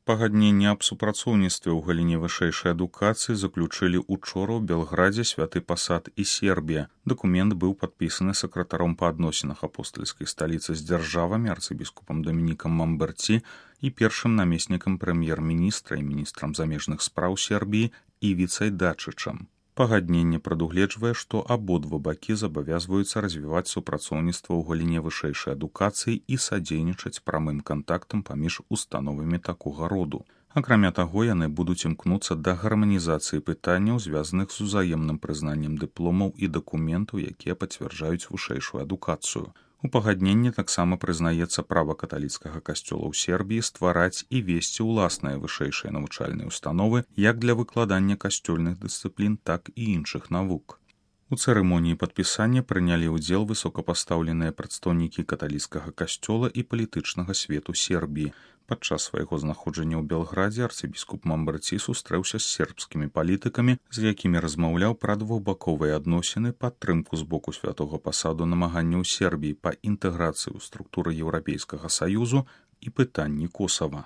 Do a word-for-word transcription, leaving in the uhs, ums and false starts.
Пагадненне аб супрацоўніцтве ў галіне вышэйшай адукацыі заключылі учора ў Белградзе Святы Пасад і Сербія. Дакумент быў падпісаны сакратаром па адносінах апостальскай сталіцы з дзяржавамі арцыбіскупам Дамінікам Мамберці і першым намеснікам прэм'ер-міністра і міністрам замежных спраў Сербіі Івіцай Дачычам. Пагадненне прадугледжвае, што абодва бакі забавязваюцца развіваць супрацоўніцтва ў галіне вышэйшай адукацыі і садзейнічаць прамым кантактам паміж установамі такога роду. Акрамя таго, яны будуць імкнуцца да гарманізацыі пытанняў, звязаных з узаемным прызнаннем дыпломаў і дакументаў, якія пацвярджаюць вышэйшую адукацыю. У пагадненні таксама прызнаецца права каталіцкага касцёла ў Сербіі ствараць і весці ўласныя вышэйшыя навучальныя установы як для выкладання касцёльных дысцыплін, так і іншых навук. У цырымоніі падпісання прынялі ўдзел высокапастаўленыя прадстаўнікі каталіцкага касцёла і палітычнага свету Сербіі. Падчас свайго знаходжання ў Белградзе арцыбіскуп Мамберці сустрэўся з сербскімі палітыкамі, з якімі размаўляў пра двухбаковыя адносіны, падтрымку з боку Святога Пасаду намаганняў Сербіі па інтэграцыі ў структуры Еўрапейскага Саюзу і пытанні Косава.